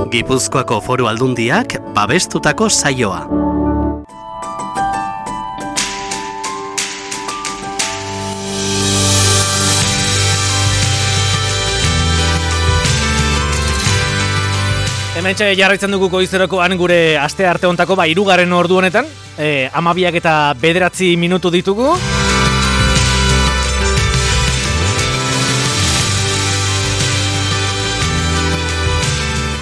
Gipuzkoako Foru Aldundiak babestutako saioa. Hementxe jarraitzen dugu goizerokoan gure aste arte hontako hirugarren ordu honetan, 12 eta 9 minutu ditugu.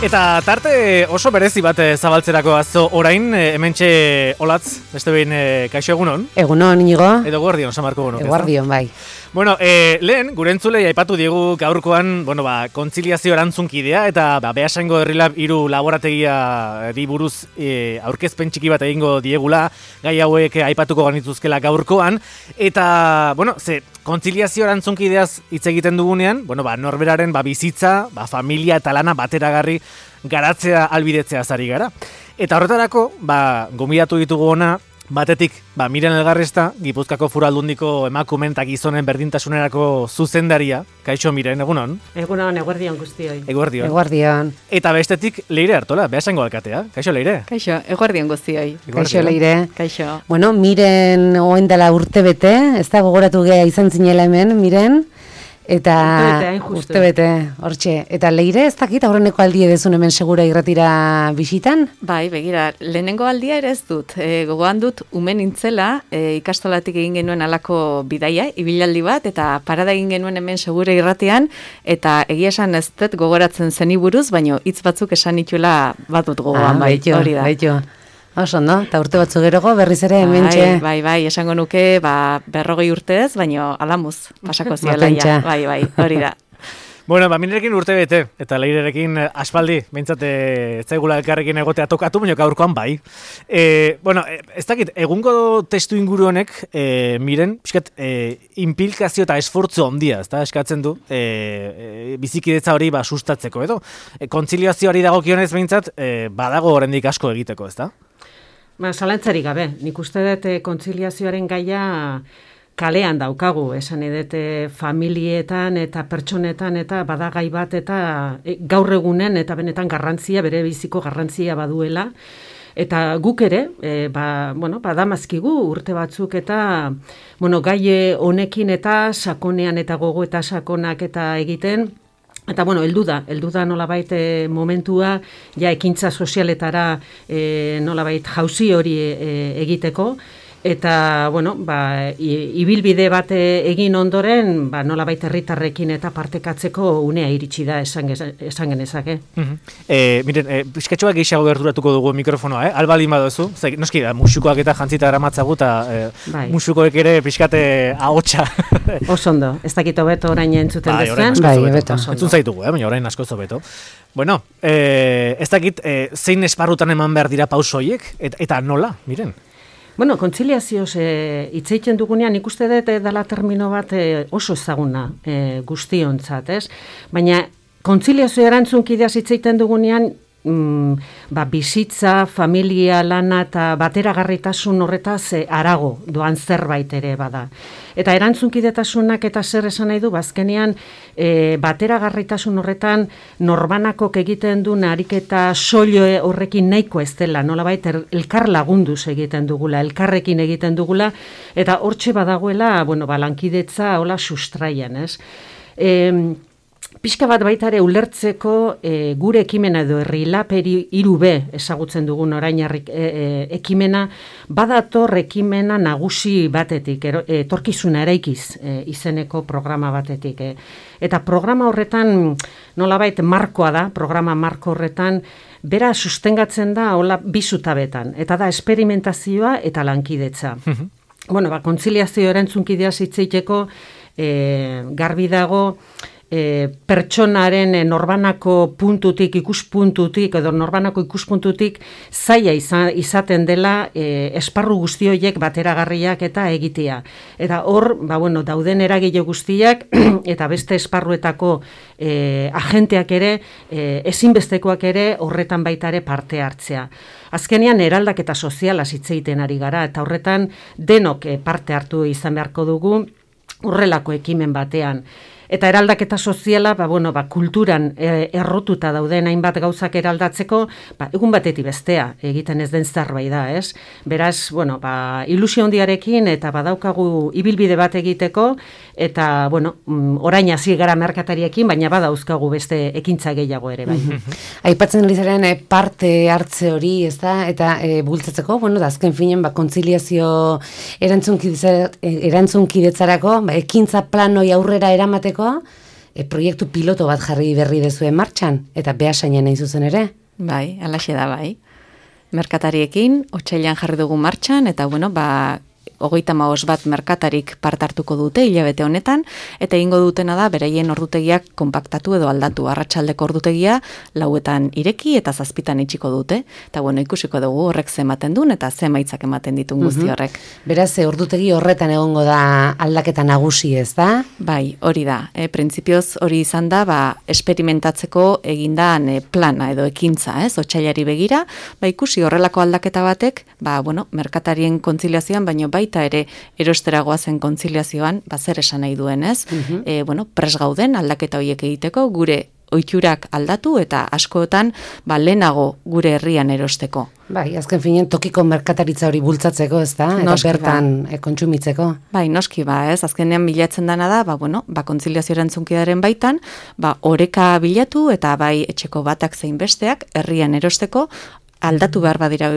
Eta tarte oso berezi bat zabaltzerako azo orain, hementxe Olatz, beste behin kaixo egunon? Egunon, Inigo. Edo guardion, Samarko Bono. Guardion, bai. Bueno, lehen, gure entzulei aipatu diegu gaurkoan, kontziliazio erantzunkidea, eta Beasaingo Herrilab 3 laborategia di buruz aurkezpen txiki bat egingo diegula, gai hauek aipatuko ganituzkela gaurkoan, eta, kontziliazio erantzunkideaz hitz egiten dugunean, norberaren bizitza, familia eta lana bateragarri garatzea albidetzea zari gara. Eta horretarako, gomidatu ditugu ona, batetik, Miren Elgarresta, Gipuzkoako Foru Aldundiko emakumeen eta gizonen berdintasunerako zuzendaria. Kaixo Miren, egunon? Egunon, eguerdion guztioi. Eguerdion. Eguerdion. Eta bestetik, Leire Artola, Beasaingo alkatea. Kaixo Leire? Kaixo, eguerdion guztioi. Kaixo Leire. Kaixo. Bueno, Miren oen dela urtebete, ez da gogoratu gea izan zinela hemen, Miren. Eta urtebete, hortxe. Eta Leire, ez dakit aurreneko aldia dezun hemen segura irratira bisitan? Bai, begira, lehenengo aldia ere ez dut. Gogoan dut, umen nintzela, ikastolatik egin genuen alako bidaia, ibilaldi bat, eta parada egin genuen hemen segura irratian, eta egia esan ez dut gogoratzen zeni buruz, baino hitz batzuk esan nituela bat dut gogoan, hori da. Baito. Oso, no? Eta urte batzu gerogo berriz ere hementxe. Bai, esango nuke 40 urtez, baino alamuz pasako ziela ja. Bai, hori da. Bueno, Minerekin urte bete, eta Leirerekin aspaldi, behintzat ez zaigula elkarrekin egotea tokatu, baina gaurkoan bai. Ez dakit, egungo testu inguru honek, Miren, pixkat, implikazio eta esfortzu handia, ez da, eskatzen du, bizikidetza hori sustatzeko, edo? Kontziliazioari dagokionez behintzat, badago oraindik asko egiteko, ez da? Zalantzarik gabe, nik uste dut kontziliazioaren gaia kalean daukagu, esan edete familietan eta pertsonetan eta badagai bat eta gaur egunen eta benetan garrantzia, bere biziko garrantzia baduela. Eta guk ere, badamazkigu urte batzuk eta gai honekin eta sakonean eta gogo eta sakonak eta egiten. Eta heldu da nolabait momentua ja ekintza sozialetara nolabait jauzi hori egiteko. Eta, ibilbide bat egin ondoren, nolabait herritarrekin eta partekatzeko unea iritsi da esan genezake. Miren, pixkatxoa gehiago gerturatuko dugu mikrofonoa, albalin badozu, noski da, musukoak eta jantzita eramatzagu, eta musukoek ere pixkate ahotsa. Osondo, ez dakito beto orain entzuten dezen. Bai, beto. Entzun zaitugu, baina orain askozo beto. Bueno, ez dakit, zein esparrutan eman behar dira pausoiek, eta nola, Miren? Kontziliazioz hitz egiten dugunean ikuste dut dela termino bat oso ezaguna guztiontzat, ez? Baina kontziliazio erantzunkideaz hitz egiten dugunean bizitza, familia, lana eta bateragarritasun horretaz harago doan zerbait ere bada. Eta erantzunkidetasunak eta zer esan nahi du, bazkenean bateragarritasun horretan norbanakok egiten du ariketa soilo horrekin nahiko ez dela, nolabait elkar lagunduz egiten dugula, elkarrekin egiten dugula, eta hortxe badagoela, lankidetza hola sustraian, ez? Pixka bat baita ere ulertzeko gure ekimena edo Herrilab 3B ezagutzen dugun orain ekimena, badator ekimena nagusi batetik, etorkizuna eraikiz izeneko programa batetik. Eta programa horretan nolabait markoa da, programa marko horretan, bera sustengatzen da hola bi zutabetan, eta da esperimentazioa eta lankidetza. Kontziliazio erantzunkideaz hitz egiteko garbi dago, pertsonaren norbanako puntutik, ikuspuntutik edo norbanako ikuspuntutik zaila izaten dela esparru guzti horiek bateragarriak eta egitea. Eta hor, dauden eragile guztiak eta beste esparruetako agenteak ere, ezinbestekoak ere horretan baita ere parte hartzea. Azkenean eraldaketa soziala hitz egiten ari gara eta horretan denok parte hartu izan beharko dugu horrelako ekimen batean. Eta eraldaketa soziala, kulturan errotuta dauden hainbat gauzak eraldatzeko, egun batetik bestea egiten ez den zerbait da, ez? Beraz, ilusio handiarekin eta badaukagu ibilbide bat egiteko, eta, orain hasi gara merkatariekin, baina badauzkagu beste ekintza gehiago ere, bai. Aipatzen ari zaren parte hartze hori, ez da, eta bultzatzeko, da azken finen, kontziliazio erantzunkidetzarako, ekintza planoi aurrera eramateko, proiektu piloto bat jarri berri dezuen martxan, eta Beasainen nahi zuzen ere. Bai, alaxe da bai. Merkatariekin, otsailean jarri dugu martxan, eta 35 bat merkatarik part hartuko dute hilabete honetan, eta egingo dutena da beraien ordutegiak konpaktatu edo aldatu. Arratsaldeko ordutegia 4etan ireki eta 7etan itxiko dute. Eta ikusiko dugu horrek ze ematen duen eta ze emaitzak ematen ditun guzti horrek. Beraz, ordutegi horretan egongo da aldaketa nagusi, ez da? Bai, hori da. Printzipioz hori izan da, esperimentatzeko egindan plana edo ekintza, ez? Otsailari begira, ikusi horrelako aldaketa batek, merkatarien kontziliazioan, baino baita ere erosteragoa zen kontziliazioan, zer esan nahi duen, ez? Pres gauden aldaketa horiek egiteko, gure ohiturak aldatu eta askotan lehenago gure herrian erosteko. Bai, azken finen tokiko merkataritza hori bultzatzeko, ez da? Eta bertan kontsumitzeko. Bai, noski ez? Azkenean bilatzen dana da, kontziliazio erantzunkidearen baitan, oreka bilatu eta bai etxeko batak zein besteak herrian erosteko, aldatu behar badira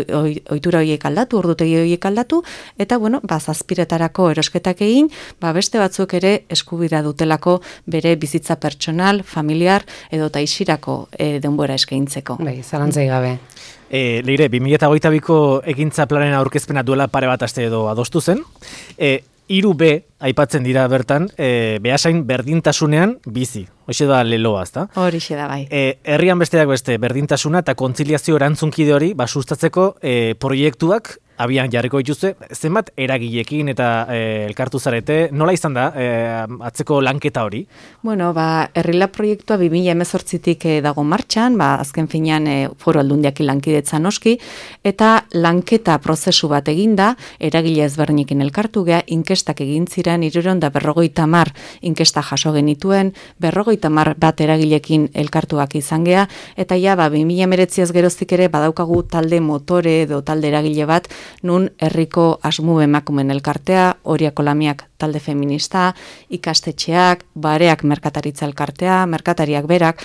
ohitura horiek aldatu, ordutegi horiek aldatu, eta zazpiretarako erosketak egin, beste batzuk ere eskubira dutelako bere bizitza pertsonal, familiar edo taixirako denbora eskaintzeko. Bai, zalantzai gabe. Leire, 2022ko ekintza planen aurkezpena duela pare bat aste edo adostu zen. 3B aipatzen dira bertan, Beasain berdintasunean bizi. Hoxe da leloa, ezta? Horixe da bai. Herrian besteak beste berdintasuna eta kontziliazio erantzunkide hori sustatzeko proiektuak abian jarriko dituzte, zenbat eragilekin eta elkartu zarete, nola izan da atzeko lanketa hori? Herrila proiektua 2018tik dago martxan, azken finean Foru Aldundiakin lankidetza noski, eta lanketa prozesu bat eginda, eragile ezberdinekin elkartu gea, inkestak egin ziren, 350 inkesta jaso genituen, 50 bat eragilekin elkartuak izan gea, eta 2019 geroztik ere badaukagu talde motore edo talde eragile bat, nun herriko asmu emakumen elkartea, Oriako Lamiak talde feminista, ikastetxeak, Bareak merkataritza elkartea, merkatariak berak,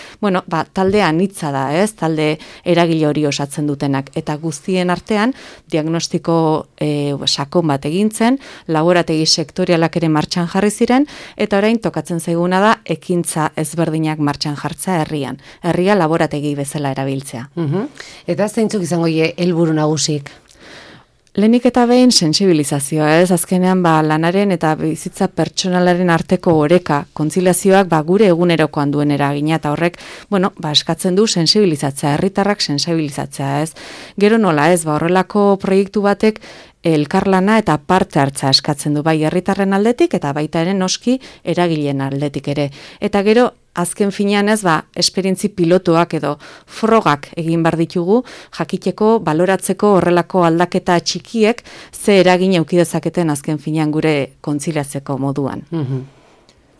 talde anitza da, ez? Talde eragile hori osatzen dutenak, eta guztien artean diagnostiko sakon bat egintzen, laborategi sektorialak ere martxan jarri ziren, eta orain tokatzen zaiguna da ekintza ezberdinak martxan jartza herrian. Herria laborategi bezala erabiltzea. Eta zeintzuk izango helburu nagusik? Lehenik eta behin sentsibilizazioa, ez? Azkenean lanaren eta bizitza pertsonalaren arteko oreka, kontziliazioak gure egunerokoan duen eragina, eta horrek, eskatzen du sentsibilizatzea, herritarrak sentsibilizatzea, ez? Gero nola, ez? Horrelako proiektu batek elkarlana eta parte hartza eskatzen du, bai herritarren aldetik eta baita ere noski eragileen aldetik ere. Eta gero azken finean ez esperientzi pilotuak edo frogak egin bar ditugu, jakiteko, baloratzeko horrelako aldaketa txikiek ze eragin eduki dezaketen azken finean gure kontziliatzeko moduan.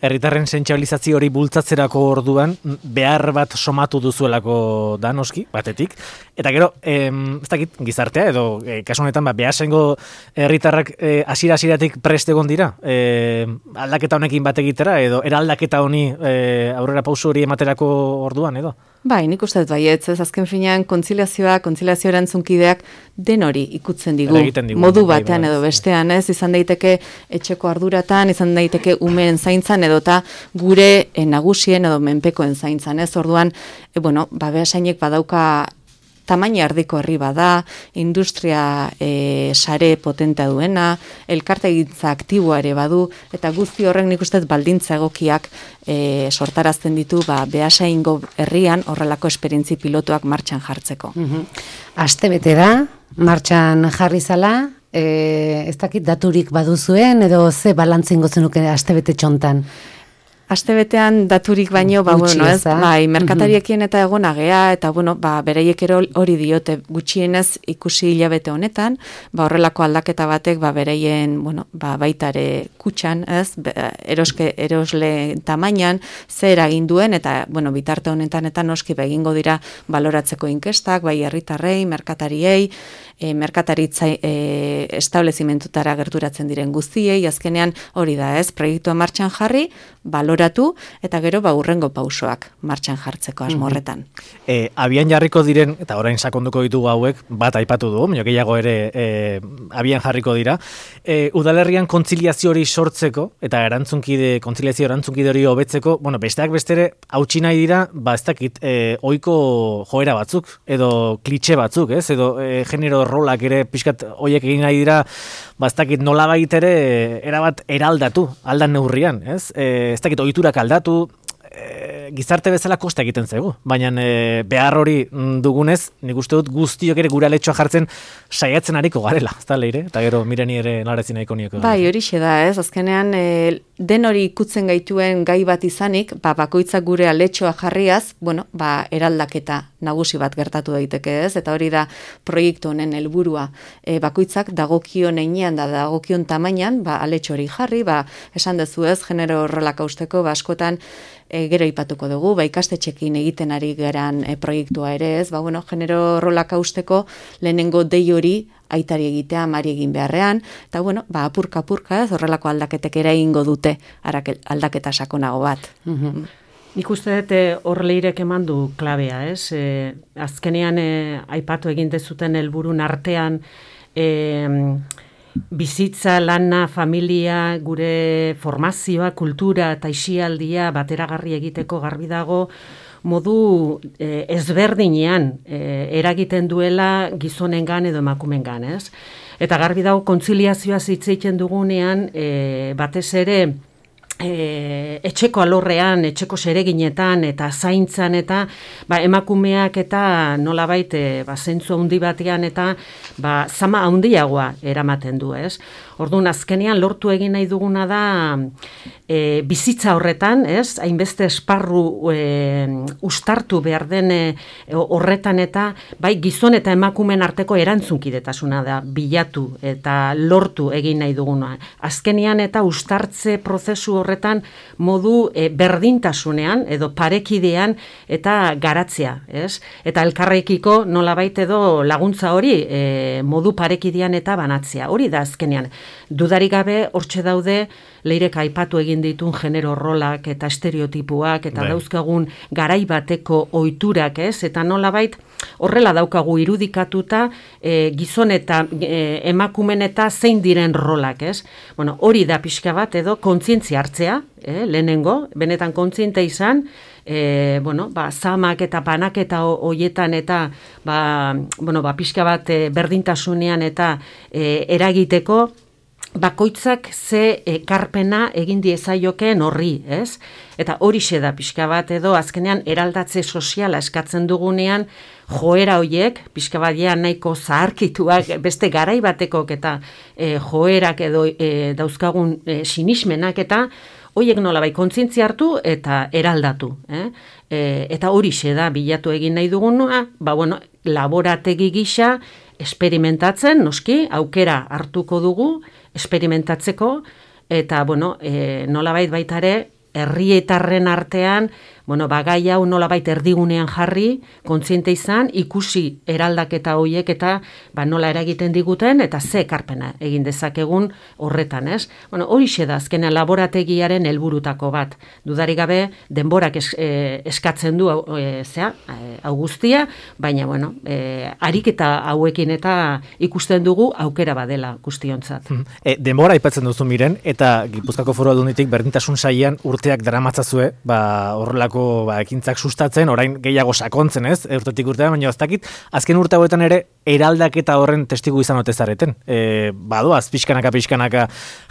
Herritarren sentsibilizazio hori bultzatzerako orduan behar bat somatu duzuelako da noski, batetik. Eta gero, ez dakit gizartea edo kasu honetan Beasaingo herritarrak hasiera-hasieratik prest egon dira aldaketa honekin bat egitera edo eraldaketa honi aurrera pauso hori ematerako orduan edo? Bai, nik uste dut baietz, ez azken finean kontziliazio erantzunkideak den hori ikutzen digu, modu batean edo bestean, ez, izan daiteke etxeko arduratan, izan daiteke umeen zaintzan edota gure nagusien edo menpekoen zaintzan, ez, orduan, Beasainek badauka tamaina erdiko herri bada, industria sare potentea duena, elkartegintza aktiboa ere badu, eta guzti horrek nik uste baldintza egokiak sortarazten ditu Beasaingo herrian horrelako esperientzi pilotuak martxan jartzeko. Astebete da, martxan jarri zala, ez dakit daturik baduzuen edo ze balantzingo zenuke astebete txontan? Astebetean daturik baino, bai, merkatariekin eta egonagea, eta beraiek ere hori diote gutxienez ikusi hilabete honetan, horrelako aldaketa batek, beraien, baitare kutxan, erosle tamainan, zer egin duen, eta, bitarte honetan eta noski egingo dira baloratzeko inkestak, bai herritarrei, merkatariei, merkataritza establezimentutara gerturatzen diren guztiei, azkenean hori da, proiektua martxan jarri, baloratu, eta gero hurrengo pausoak martxan jartzeko asmorretan. Abian jarriko diren, eta orain sakonduko ditugu hauek, bat aipatu du, gehiago ere abian jarriko dira, udalerrian kontziliazio hori sortzeko, eta kontziliazio erantzunkide hori hobetzeko, besteak bestere, hautsi nahi dira, ez dakit, ohiko joera batzuk, edo klitxe batzuk, edo genero rolak ere pixkat hoiek egin nahi dira, ez dakit nolabait ere erabat eraldatu, aldan neurrian, ez dakit ohiturak aldatu, gizarte bezala kosta egiten zaigu, baina behar hori dugunez, nik uste dut guztiok ere gure aletxoa jartzen saiatzen ariko garela, ez da leire? Eta gero mireni ere narazin nahiko nioko. Bai, horixe da, azkenean den hori ikutzen gaituen gai bat izanik, bakoitzak gure aletxoa jarriaz, eraldaketa nagusi bat gertatu daiteke, ez? Eta hori da proiektu honen helburua. Bakoitzak dagokion heinean da dagokion tamainan, aletxo hori jarri, esan dezu ez, genero rolak hausteko, askotan gero ipatuko dugu, ikastetxekin egiten ari geran proiektua ere ez, genero rolak hausteko lehenengo dei hori aitari egitea, amari egin beharrean, eta apurka-apurka ez, horrelako aldaketek ere egingo dute aldaketa sakonago bat. Nik uste dut horleirek eman du klabea, ez? Azkenean aipatu egin dezuten helburun artean bizitza, lana, familia, gure formazioa, kultura eta isialdia bateragarri egiteko garbi dago modu ezberdinean eragiten duela gizonengan edo emakumengan, ez? Eta garbi dago kontziliazioa hitz egiten dugunean batez ere etxeko alorrean, etxeko zereginetan eta zaintzan eta emakumeak eta nolabait zentzu handi batean eta zama handiagoa eramaten du, ez? Orduan azkenean lortu egin nahi duguna da bizitza horretan, ez? Hainbeste esparru ustartu behar den horretan eta gizon eta emakumeen arteko erantzunkidetasuna da bilatu eta lortu egin nahi duguna. Azkenean eta ustartze prozesu horretan modu berdintasunean edo parekidean eta garatzea, ez? Eta elkarrekiko nolabait edo laguntza hori modu parekidean eta banatzea. Hori da azkenean. Dudarik gabe hortxe daude leirek aipatu egin ditun genero rolak eta estereotipuak eta dauzkagun garai bateko ohiturak, ez? Eta nolabait horrela daukagu irudikatuta gizon eta emakumen eta zein diren rolak, ez? Hori da pixka bat edo kontzientzia hartzea, lehenengo, benetan kontziente izan, zamak eta banaketa hoietan eta pixka bat berdintasunean eta eragiteko bakoitzak ze ekarpena egin diezaiokeen horri, ez? Eta horixe da pixka bat edo azkenean eraldatze soziala eskatzen dugunean joera hoiek, pixka bat nahiko zaharkituak beste garai batekok eta joerak edo dauzkagun sinismenak eta hoiek nolabait kontzientzia hartu eta eraldatu, eta horixe da bilatu egin nahi duguna, laborategi gisa esperimentatzen, noski, aukera hartuko dugu, esperimentatzeko, eta, nolabait baita ere, herrietarren artean, gai hau nolabait erdigunean jarri, kontziente izan, ikusi eraldaketa horiek eta nola eragiten diguten, eta ze ekarpena egin dezakegun horretan, ez? Horixe da, azkenean laborategiaren helburutako bat. Dudarik gabe, denborak eskatzen du hau guztia, baina, ariketa hauekin eta ikusten dugu aukera badela guztiontzat. Denbora aipatzen duzu miren, eta Gipuzkoako Foru Aldunditik berdintasun sailean urteak daramatzazue, horrelako ekintzak sustatzen, orain gehiago sakontzen, ez? Urtetik urtean, baina ez dakit, azken urte hauetan ere eraldaketa horren testigu izan ote zareten. Badoaz, pixkanaka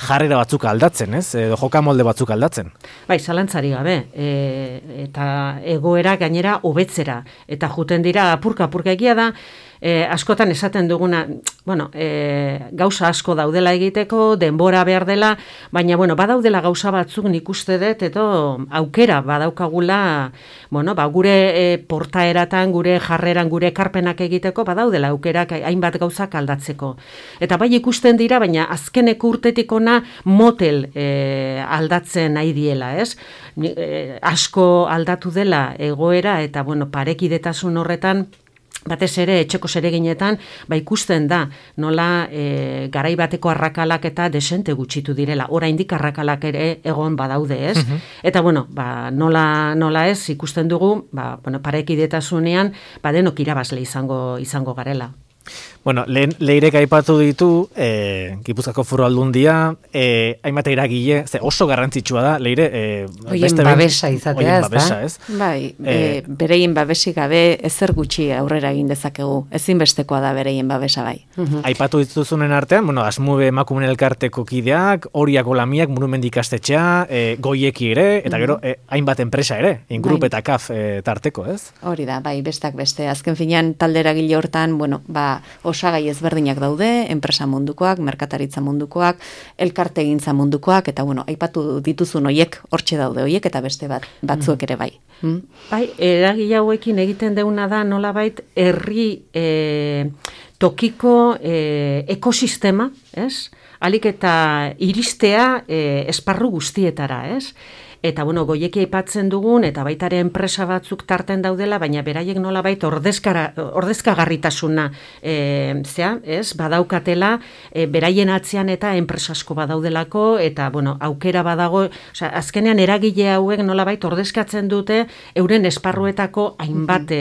jarrera batzuk aldatzen, ez? Edo joka molde batzuk aldatzen. Zalantzari gabe, eta egoera gainera hobetzera, eta juten dira apurka egia da, askotan esaten duguna, gauza asko daudela egiteko, denbora behar dela, baina, badaudela gauza batzuk nik uste dut, edo aukera badaukagula, gure portaeratan, gure jarreran, gure ekarpenak egiteko, badaudela aukerak hainbat gauzak aldatzeko. Eta bai ikusten dira, baina azkeneko urtetik ona motel aldatzen nahi diela, ez? Asko aldatu dela egoera, eta, parekidetasun horretan, batez ere, etxeko zereginetan, ikusten da, nola garai bateko arrakalak eta desente gutxitu direla. Oraindik arrakalak ere egon badaude, ez? Eta, nola ez, ikusten dugu, parekidetasunean, denok irabazle izango garela. Bueno, lehen Leirek aipatu ditu, Gipuzkoako Foru Aldundia, hainbat eragile, oso garrantzitsua da, Leire... Oien babesa izatea, ez? Bai, bereien babesik gabe ezer gutxi aurrera egin dezakegu, ezinbestekoa da bereien babesa bai. Aipatu dituzunen artean, Asmube emakumen elkarteko kideak, Oriako Lamiak, Murumendi ikastetxea, Goieki ere, eta gero, hainbat enpresa ere, Ingrup eta KAF tarteko, ez? Hori da, bai, bestak beste. Azken finean, talde eragile hortan, osagai ezberdinak daude, enpresa mundukoak, merkataritza mundukoak, elkartegintza mundukoak, eta aipatu dituzun hoiek hortxe daude hoiek, eta beste batzuek ere bai. Bai, eragile hauekin egiten deuna da nolabait herri tokiko ekosistema, ez? Alik eta iristea esparru guztietara, ez? Eta, Goieki aipatzen dugun, eta baita ere enpresa batzuk tarten daudela, baina beraiek nolabait ordezkagarritasuna badaukatela, beraien atzean eta enpresa asko badaudelako, eta, aukera badago, azkenean eragile hauek nolabait ordezkatzen dute euren esparruetako hainbat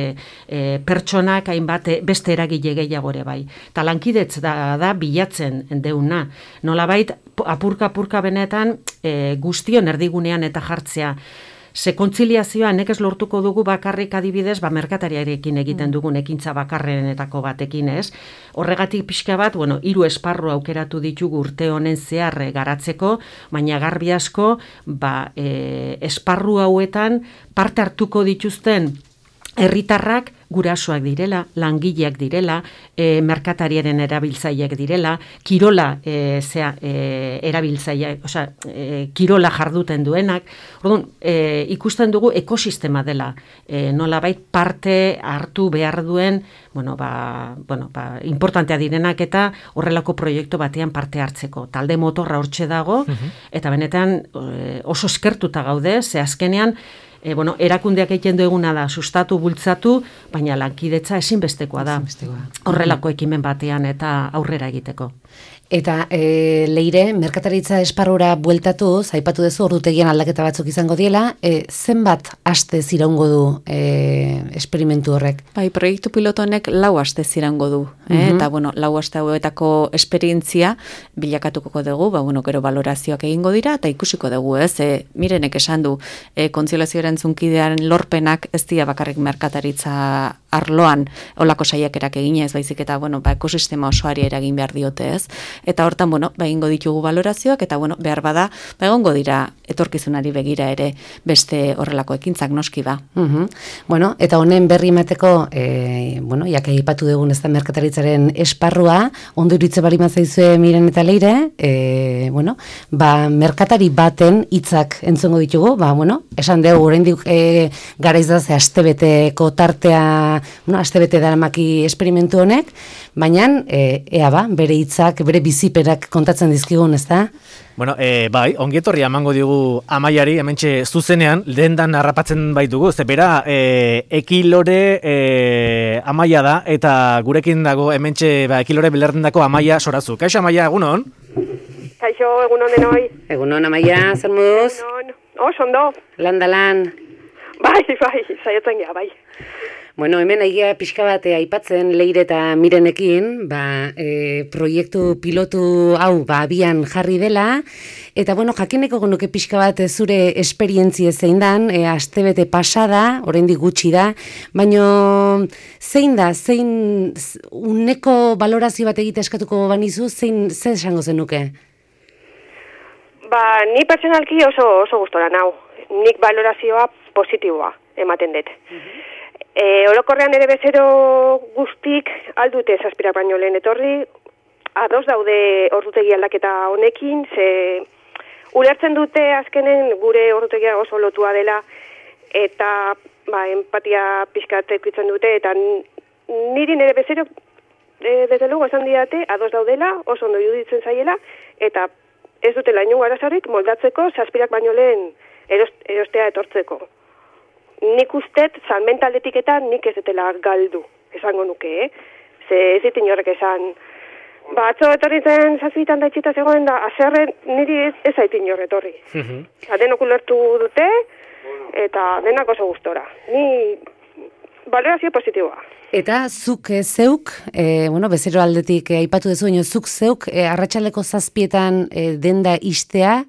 pertsonak, hainbat beste eragile gehiago ere bai. Eta lankidetz da bilatzen deuna. Nolabait, apurka benetan guztion erdigunean eta jartzea. Ze kontziliazioa nekez lortuko dugu bakarrik adibidez, merkatariarekin egiten dugun ekintza bakarrenetako batekin, ez? Horregatik pixka bat, 3 esparru aukeratu ditugu urte honen zehar garatzeko, baina garbi asko, esparru hauetan parte hartuko dituzten herritarrak gurasoak direla, langileak direla, merkatariaren erabiltzaileak direla, kirola erabiltzaileak, kirola jarduten duenak. Orduan, ikusten dugu ekosistema dela, nolabait parte hartu behar duen, importantea direnak eta horrelako proiektu batean parte hartzeko. Talde motorra hortxe dago, eta benetan oso eskertuta gaude, ze azkenean, erakundeak egiten dueguna da, sustatu, bultzatu, baina lankidetza ezinbestekoa da. Horrelako ekimen batean eta aurrera egiteko. Eta Leire, merkataritza esparrura bueltatuz, aipatu duzu ordutegian aldaketa batzuk izango diela, zenbat aste iraungo du esperimentu horrek? Bai, proiektu piloto honek 4 aste iraungo du, eta 4 aste hauetako esperientzia bilakatuko dugu, gero valorazioak egingo dira, eta ikusiko dugu, ez? Mirenek esan du, kontziolazio erantzunkidean lorpenak ez dira bakarrik merkataritza arloan olako saiakerak eginez, baizik eta, ekosistema osoari eragin behar diote, ez? Eta hortan, egingo ditugu valorazioak, eta, behar bada, egongo dira etorkizunari begira ere beste horrelako ekintzak noski ba. Eta honen berri emateko, jake aipatu dugun ez da merkataritzaren esparrua, ondo iritze bali mazaizue Miren eta Leire, merkatari baten hitzak entzongo ditugu, esan dugu, oraindik garaiz da ze astebeteko tartea, astebete daramaki esperimentu honek, baina, bere hitzak, bere biziperak kontatzen dizkigun, ez da? Bai, ongietorria emango digu Amaiari, hementxe zuzenean, dendan harrapatzen baitugu, ze bera, Ekilore Amaia da, eta gurekin dago hementxe Ekilore belardendako Amaia Sorazu. Kaixo Amaia, egunon? Kaixo, egunon denoi. Egunon Amaia, zer moduz? Egunon. Ondo. Lan. Bai, saiatzen gea, bai. Hemen egia pixka bat aipatzen Leire eta Mirenekin, proiektu pilotu hau abian jarri dela, eta jakineko nuke pixka bat zure esperientzia zein dan, astebete pasada, oraindik gutxi da, baina zein uneko valorazio bat egite eskatuko banizu, zer esango zenuke? Ni pertsonalki oso gustora nau. Nik valorazioa positiboa ematen dut. Orokorrean ere bezero guztik aldute zazpirak baino lehen etorri, ados daude ordutegi aldaketa honekin, ze ulertzen dute azkenen gure ordutegia oso lotua dela, eta empatia pixkat ekuitzen dute, eta niri nire bezero, desde luego esan diate, ados daudela, oso ondo iruditzen zaiela, eta ez dutela inongo arazorik moldatzeko zazpirak baino lehen erostea etortzeko. Nik ustet, salmentaldetik eta nik ez dutela galdu, esango nuke, Ze ez dit inorrek esan, atzo etorri zen zazpitan da itxita zegoen da, azerren niri ez zait inor etorri. Denok ulertu dute, eta denak oso gustora. Ni balorazio positiboa. Eta zuk zeuk, bezero aldetik aipatu dezu, zuk zeuk arratsaleko 7etan denda istea,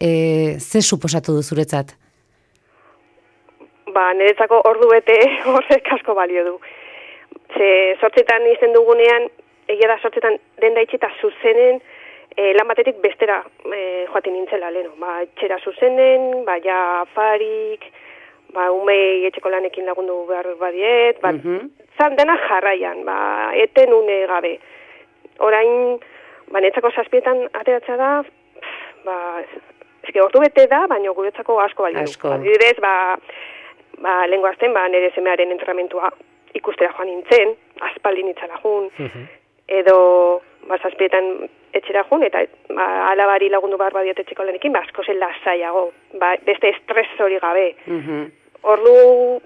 ze suposatu du zuretzat? Niretzako ordu bete horrek asko balio du. Ze 8etan izen dugunean, egia da 8etan denda itxita zuzenen, lan batetik bestera joaten nintzela leno. Etxera zuzenen, ja afarik, umei etxeko lanekin lagundu behar badiet, zan dena jarraian, eten une gabe. Orain, niretzako 7etan ateratza da, ordu bete da, baina guretzako asko balio. Adibidez, lehengo azten, nire semearen entrenamentua ikustera joan nintzen, aspaldin itzala jun, edo 7etan etxera jun, eta alabari lagundu behar badiot etxeko lanekin, asko zen lasaiago, beste estres hori gabe. Ordu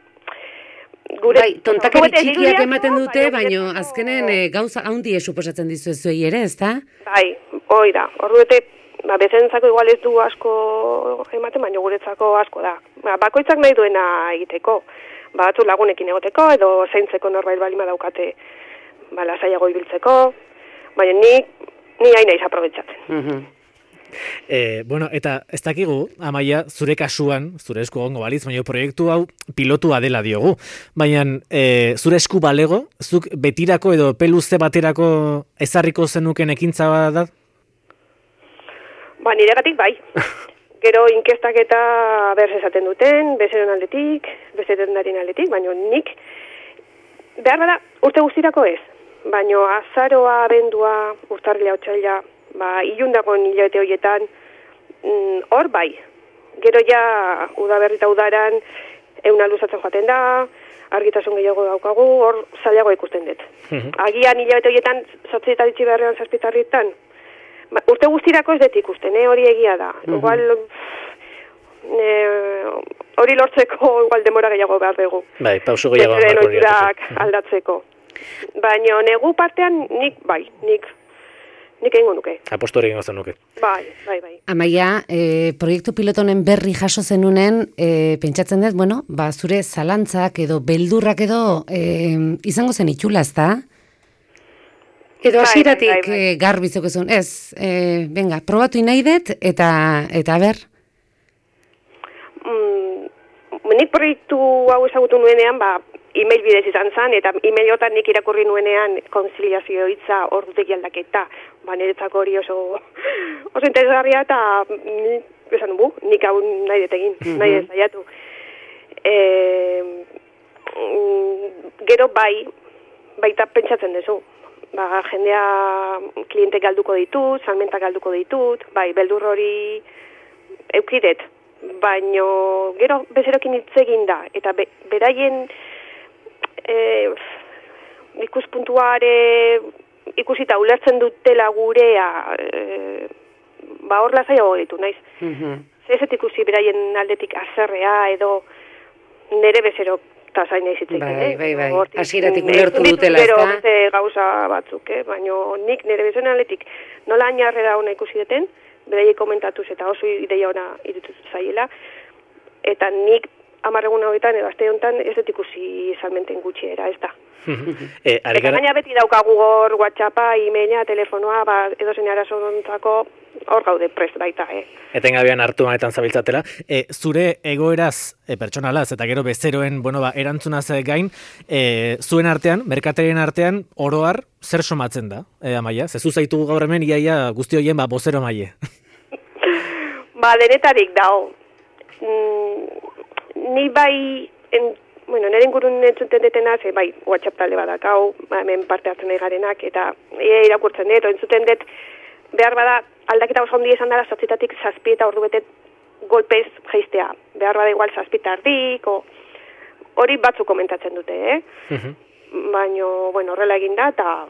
gure... Tontakari txikiak ematen dute, baina azkenen gauza handi suposatzen dizuezuei ere, ezta? Hoi da, ordu bete, bezentzako igual ez du asko ematen, baina guretzako asko da. Bakoitzak nahi duena egiteko, batzu lagunekin egoteko, edo zaintzeko norbait balima daukate lasaiago ibiltzeko, baina ni hain naiz aprobetxatzen. Eta ez dakigu, Amaia, zure kasuan, zure esku egongo balitz, baina proiektu hau pilotua dela diogu. Baina zure esku balego, zuk betirako edo peluze baterako ezarriko zenuken ekintza da? Niregatik bai. Gero inkestak eta berz esaten duten, bezeron aldetik, bezeren darien aldetik, baina nik behar da urte guztirako ez. Baina azaroa, abendua, urtarrilea, otsaila, ilundagoen hilabete horietan, hor bai. Gero ja, udaberri eta udaran, euna luzatzen joaten da, argitasun gehiago daukagu, hor zailago ikusten dut. Agian hilabete horietan, 8 eta ditzi beharrean 7 urte guztirako ez dut ikusten, hori egia da. Igual, hori lortzeko igual demora gehiago behar dugu. Pausu gehiago behar dugu. Aldatzeko. Baina negu partean nik egingo nuke. Apostu hori egingo zen nuke. Bai. Amaia, proiektu pilotonen berri jaso zenunen, pentsatzen dut, zure zalantzak edo beldurrak edo izango zen itxula, ezta? Edo hasieratik garbizok ezun, ez, probatu nahi dut, eta ber? Nik proiektu hau ezagutu nuenean, e-mail bidez izan zen, eta e-mailotan nik irakurri nuenean konziliazio hitza ordutegi aldaketa. Niretzako hori oso interesgarria, eta nik hau nahi dut egin, nahi dut zaiatu. Gero baita pentsatzen duzu. Jendea kliente galduko ditut, salmentak galduko ditut, beldur hori eukidet, baino gero bezerokin hitz egin da, eta beraien ikuspuntuare ikusita ulertzen dutela gurea, hor lasaiago ditu, naiz. Zezet ikusi beraien aldetik azerrea edo nere bezero zain ezitzen. Bai. Hasieratik ulertu dutela, ezta? Beste gauza batzuk, baina nik nire bezen aldetik nola ainarrera ona ikusi deten, beraiek komentatuz eta oso ideia ona irutu zaiela, eta nik 10 egun hauetan edo aste honetan ez dut ikusi salmenten gutxiera, ez da. Eta gaina beti daukagu hor WhatsAppa, e-maila, telefonoa, edo zein arazontzako hor gaude prest baita, Etengabean hartu manetan zabiltzatela. Zure egoeraz pertsonalaz eta gero bezeroen erantzunaz gain, zuen artean, merkatarien artean, oroar, zer somatzen da, Amaia? Zezu zaitu gaur hemen, iaia guzti horien bozero maile. Denetarik dago. Ni bai bueno, nire ingurun entzuten detena, bai, WhatsApp talde badakau, hemen parte hartzen nahi garenak, eta irakurtzen dut, entzuten dut, behar bada, aldaketa oso handi esan dara, 7 eta 7 eta ordu betet golpez jaistea. Behar bada igual 7 eta erdik, hori batzuk komentatzen dute, Baina, bueno, horrela egin da, eta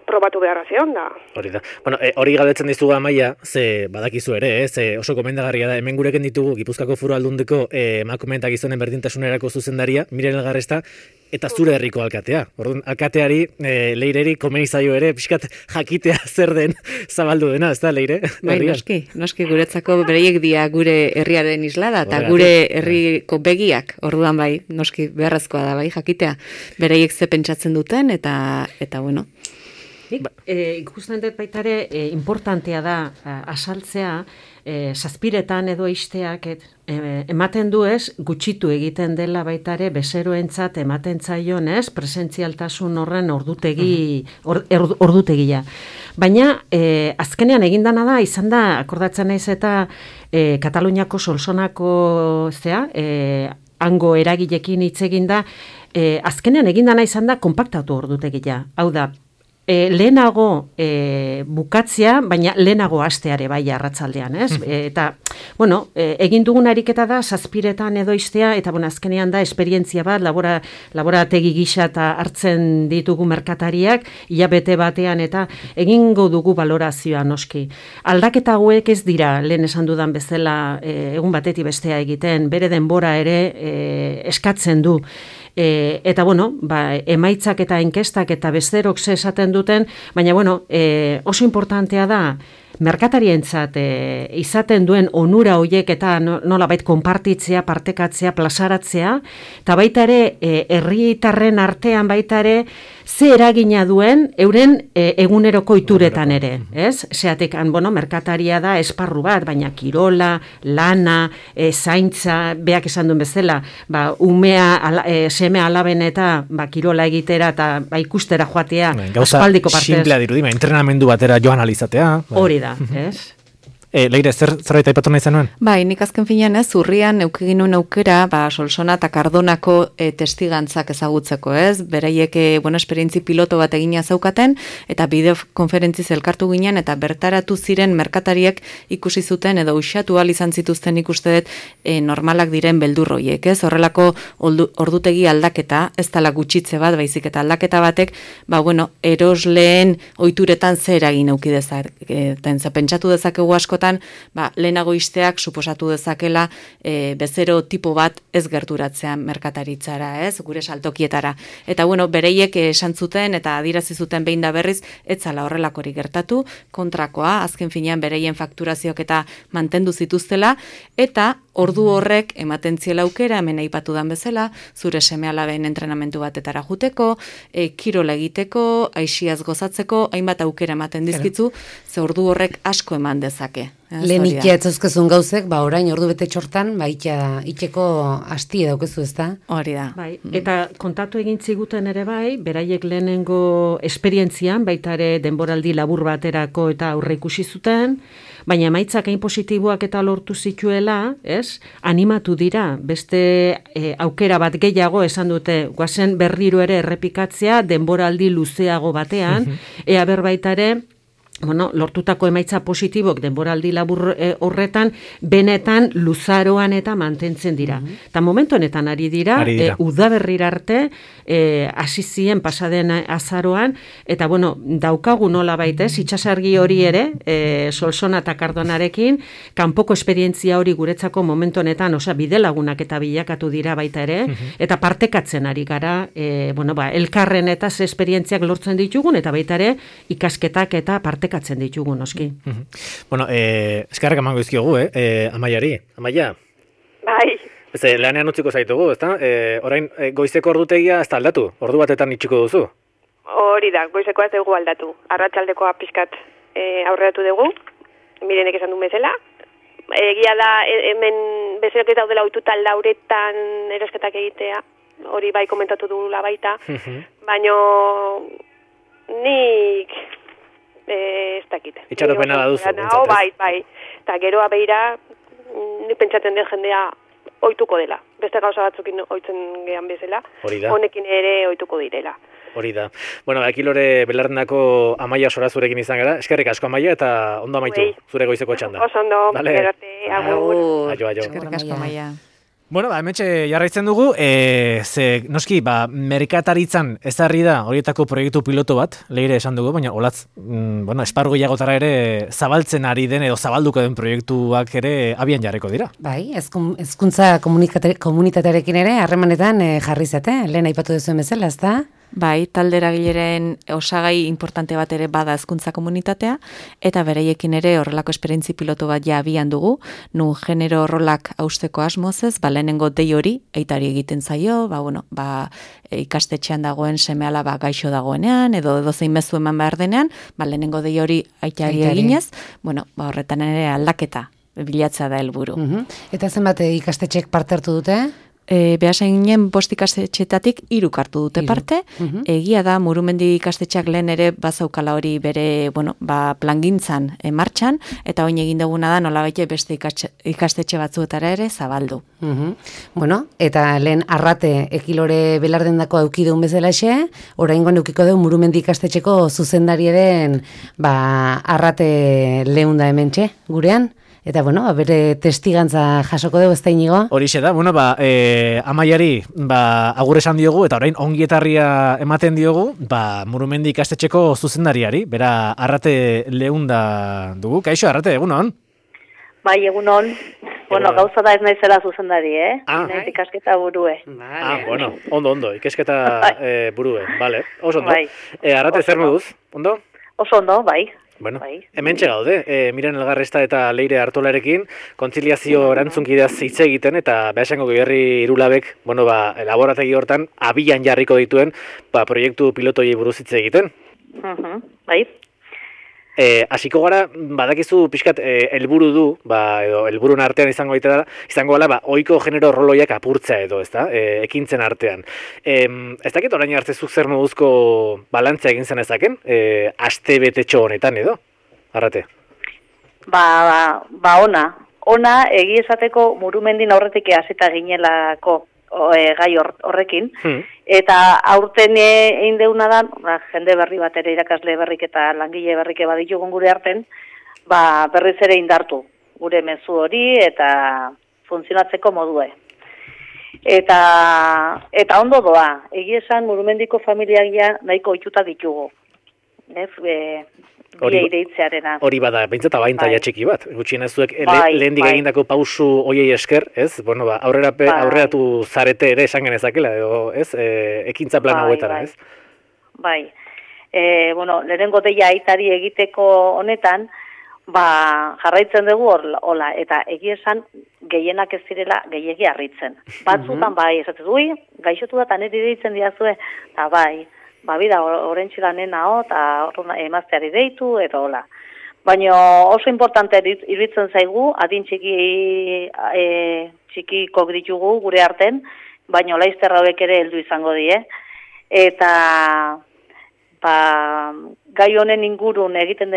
probatu beharra zeon da. Hori da. Bueno, hori galdetzen dizugu Amaia, ze badakizu ere, ze oso komendagarria da. Hemen gureken ditugu Gipuzkoako Foru Aldundiko emakume eta gizonen berdintasunerako zuzendaria, Miren Elgarresta, eta zure herriko alkatea. Orduan, alkateari, Leireri, komeni zaio ere, pixkat jakitea zer den zabaldu dena, ez da, Leire? Bai, noski guretzako bereiek dia gure herriaren islada, eta gure herriko begiak, orduan bai, noski beharrezkoa da, bai, jakitea. Bereiek ze pentsatzen duten, eta bueno. Ikusten dut baitare, importantea da asaltzea, zazpiretan edo isteak ematen du ez, gutxitu egiten dela baitare bezeroentzat ematen zaion ez, presentzialtasun horren ordutegia. Baina, azkenean egindana da, izan da, akordatzen naiz eta Kataluniako Solsonako hango eragilekin hitz eginda, azkenean egindana izan da, konpaktatu ordutegia. Hau da, lehenago bukatzea, baina lehenago hasteare bai arratsaldean, ez? Eta, bueno, egin dugun ariketa da, 7 edo istea, eta bueno, azkenean da, esperientzia bat, laborategi gisa eta hartzen ditugu merkatariak, hilabete batean, eta egingo dugu valorazioa noski. Aldaketa hauek ez dira, lehen esan dudan bezala, egun batetik bestea egiten, bere denbora ere eskatzen du. Eta, bueno, emaitzak eta inkestak eta bezerok esaten duten, baina, bueno, oso importantea da, merkatarientzat izaten duen onura hoiek eta nolabait konpartitzea, partekatzea, plazaratzea, eta baita ere herritarren artean baita ere ze eragina duen euren eguneroko ituretan ere, ez? Zeatik, bueno, merkataria da esparru bat, baina kirola, lana, zaintza, beak esan duen bezala, umea, seme alaben eta kirola egitera eta ikustera joatea aspaldiko partez. Gauza simplea dirudi, entrenamendu batera joan alizatea. Hori da, ez? Leire, zerbait aipatu nahi zenuen? Bai, nik azken finean urrian eukiginun aukera, Solsona eta Cardonako testigantzak ezagutzeko, ez? Beraiek, esperientzi piloto bat egina zaukaten, eta bideokonferentziz elkartu ginen, eta bertaratu ziren merkatariek ikusi zuten, edo usatu izan zituzten ikuste dut normalak diren beldurroiek, ez? Horrelako ordutegi aldaketa, ez dela gutxitze bat, baizik eta aldaketa batek, erosleen ohituretan zer egin auki dezaten, pentsatu dezakegu asko lehenago isteak suposatu dezakela bezero tipo bat ez gerturatzean merkataritzara, ez, gure saltokietara. Eta, bereiek esan zuten eta adirazi zuten behin da berriz, ez zala horrelakori gertatu, kontrakoa, azken finean bereien fakturazioak eta mantendu zituztela, eta ordu horrek ematen ziela aukera, hemen aipatu dan bezala, zure seme-alaben entrenamentu batetara juteko, kirola egiteko, aixiaz gozatzeko, hainbat aukera ematen dizkitzu, ze ordu horrek asko eman dezake. Lehen itxeatzozkezun gauzek, orain ordu bete txortan, itxeko asti daukezu, ez da? Hori da. Bai, eta kontatu egin ziguten ere bai, beraiek lehenengo esperientzian, baita ere denboraldi labur baterako eta aurre ikusi zuten, baina emaitzak hain positiboak eta lortu zituela, ez? Animatu dira, beste aukera bat gehiago esan dute, guazen berriro ere errepikatzea, denboraldi luzeago batean, ea berbaita ere, lortutako emaitza positibok denboraldi labur horretan, benetan luzaroan eta mantentzen dira. Eta momentu honetan ari dira. Udaberrira arte, hasi ziren pasaden azaroan, eta daukagu nola baitez, itxasargi hori ere, Solsona eta Cardonarekin, kanpoko esperientzia hori guretzako momentu honetan, bidelagunak eta bilakatu dira baita ere, eta partekatzen ari gara, elkarren eta ze esperientziak lortzen ditugun, eta baita ere, ikasketak eta partekatzen ditugu, noski. Eskarrak emango izkiogu, Amaiari. Amaia? Bai. Lanean utziko zaitugu, ezta? Orain, goizeko ordutegia ez da aldatu? Ordu batetan itxiko duzu? Hori da, goizeko ez dugu aldatu. Arratsaldekoa pixkat aurreratu dugu, Mirenek esan duen bezala. Egia da, hemen bezerok ez daudela ohituta lauretan erosketak egitea, hori bai komentatu dugula baita, baino nik ez dakit. Itxaropena da duzu. Bai. Eta geroa behira, nik pentsatzen den jendea ohituko dela. Beste gauza batzukin ohitzen gean bezala, honekin ere ohituko direla. Hori da. Bueno, Ekilore Belardendako Amaia Sorazurekin izan gara. Eskerrik asko Amaia eta ondo amaitu zure goizeko txanda. Oso ondo. Agur. Aio. Eskerrik asko Amaia. Bueno, hementxe jarraitzen dugu, ze noski, merkataritzan ezarri da horietako proiektu piloto bat, Leire esan dugu, baina olatz, esparru gehiagotara ere zabaltzen ari den edo zabalduko den proiektuak ere abian jarriko dira. Bai, hezkuntza komunitatearekin ere harremanetan jarri zate, lehen aipatu duzuen bezala, ezta? Bai, talde eragileren osagai importante bat ere bada hezkuntza komunitatea, eta bereiekin ere horrelako esperientzi pilotu bat ja abian dugu, nu genero rolak hausteko asmozez, lehenengo dei hori, aitari egiten zaio, ikastetxean dagoen seme-alaba gaixo dagoenean, edo zein mezu eman behar denean, lehenengo dei hori aitari eginez, horretan ere aldaketa bilatzea da helburu. Eta zenbat ikastetxek parte hartu dute? Behasen ginen 5 ikastetxetatik 3 hartu dute parte. Egia da, Murumendi ikastetxeak lehen ere bazaukala hori bere plangintzan martxan, eta oin egin duguna da nola baite beste ikastetxe batzuetara ere zabaldu. Bueno, eta lehen Arrate Ekilore Belardendako aukideun bezalaxe, oraingoan eukiko du Murumendi ikastetxeko zuzendari den Arrate Leunda hementxe, gurean. Eta, bere testigantza jasoko dugu, ez da inigo? Horixe da, Amaiari agur esan diogu, eta orain ongietarria ematen diogu, Murumendi ikastetxeko zuzendariari, bera Arrate Leunda dugu. Kaixo, Arrate, egunon? Bai, egunon. Gauza da ez naizela zuzendari, Naiz ikasketa burue. Ondo, ikasketa burue, bale, oso ondo. Arrate, zer moduz, ondo? Oso ondo, bai. Bueno, hementxe gaude, Miren Elgarresta eta Leire Artolarekin kontziliazio erantzunkidaz hitz egiten eta Beasaingo Goierri Irulabek, laborategi hortan abian jarriko dituen proiektu pilotoi buruz hitz egiten. Bai. Hasiko gara, badakizu pixkat helburu du, edo helburun artean izango gala, ohiko genero roloiak apurtzea edo, ezta? Ekintzen artean. Ez dakit orain arte zuk zer moduzko balantzea egin zen ezaken? Aste betetxo honetan edo? Arrate? Ona, egi esateko Murumendin aurretik hasita ginelako gai horrekin, eta aurten egin deuna da, jende berri bat ere irakasle berrik eta langile berrik baditugun gure arten, berriz ere indartu gure mezu hori eta funtzionatzeko modue. Eta ondo doa, egia esan Murumendiko familiak nahiko ohituta ditugu. Hori bada, behintzat abaintaia txiki bat. Gutxienez zuek lehendik egindako pausu hoiei esker, ez? Aurreratu zarete ere esan genezakela, edo, ez? Ekintza plan hauetara, ez? Bai. Lehenengo deia aitari egiteko honetan, jarraitzen dugu hola, eta egia esan gehienak ez direla gehiegi harritzen. Batzutan esatez, gaixotu da, eta niri deitzen diazue, eta bida orentxilanen hau, eta emazteari deitu, eta hola. Baina oso importante iruditzen zaigu, adin txikiko ditugu gure arten, baina laizter hauek ere heldu izango die. Eta gai honen ingurun egiten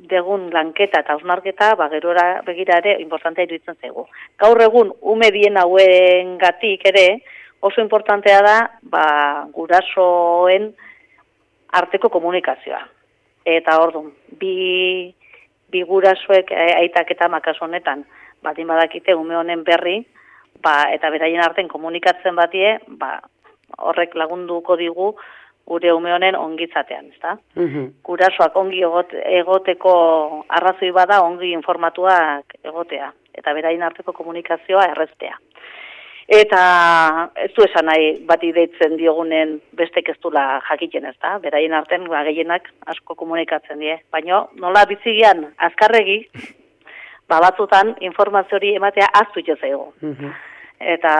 dugun lanketa eta hausnarketa, gerora begira ere importantea iruditzen zaigu. Gaur egun, ume bien hauen gatik ere, oso importantea da, gurasoen arteko komunikazioa. Eta orduan, bi gurasoek aitak eta makas honetan, batin badakite ume honen berri, eta beraien arten komunikatzen batie, horrek lagunduko digu gure ume honen ongitzatean, ezta? Gurasoak ongi egoteko arrazoi bada ongi informatuak egotea, eta beraien arteko komunikazioa erreztea. Eta ez du esan nahi bati deitzen diogunen bestek ez dula jakiten, ez da? Beraien arten gehienak asko komunikatzen die. Baina nola bizigian azkarregi, batzutan informazio hori ematea aztu itxo zaigu. Eta